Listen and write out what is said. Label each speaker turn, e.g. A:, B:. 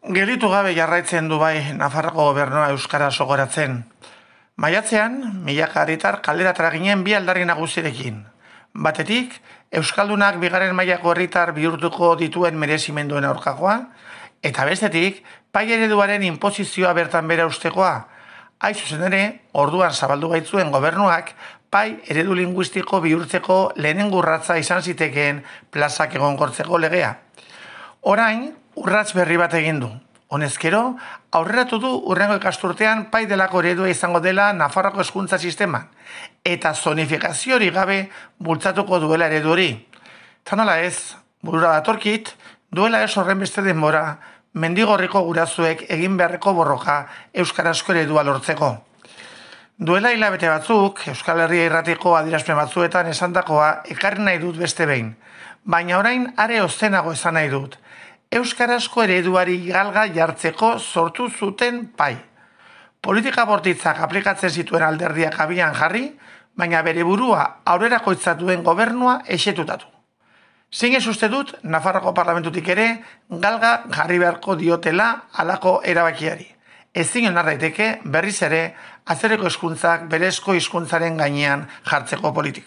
A: Gelditu gabe jarraitzen du bai Nafarroko gobernua euskara sogoratzen. Maiatzean, milaka herritar kaleratara ginen bi aldarri nagusirekin. Batetik, euskaldunak bigarren mailako herritar bihurtuko dituen merezimenduen aurkakoa, eta bestetik, pai ereduaren inposizioa bertan bera ustekoa. Hain zuzen ere, orduan zabaldu baitzuen gobernuak, pai eredu linguistiko bihurtzeko lehenengo urratsa izan zitekeen plazak egonkortzeko legea. Orain, urrats berri bat egin du. Honezkero, aurreratu du hurrengo ikasturtean pai delako eredua izango dela Nafarroko hezkuntza sisteman, eta zonifikazio hori gabe bultzatuko duela eredu hori. Ta nola ez, burura datorkit, duela ez horren beste denbora, Mendigorriko gurasoek egin beharreko borroka euskarazko eredua lortzeko. Duela hilabete batzuk, Euskal Herria Irratiko adierazpen batzuetan esandakoa ekarri nahi dut beste behin, baina orain are ozenago esan nahi dut. Euskarazko ereduari galga jartzeko sortu zuten pai. Politika bortitzak aplikatzen zituen alderdiak abian jarri, baina bere burua aurrerakoitza duen gobernua esetutatu. Zein ez uste dut, Nafarroko parlamentutik ere, galga jarri beharko diotela halako erabakiari. Ezin onar daiteke berriz ere, atzerriko hizkuntzak berezko hizkuntzaren gainean jartzeko politika.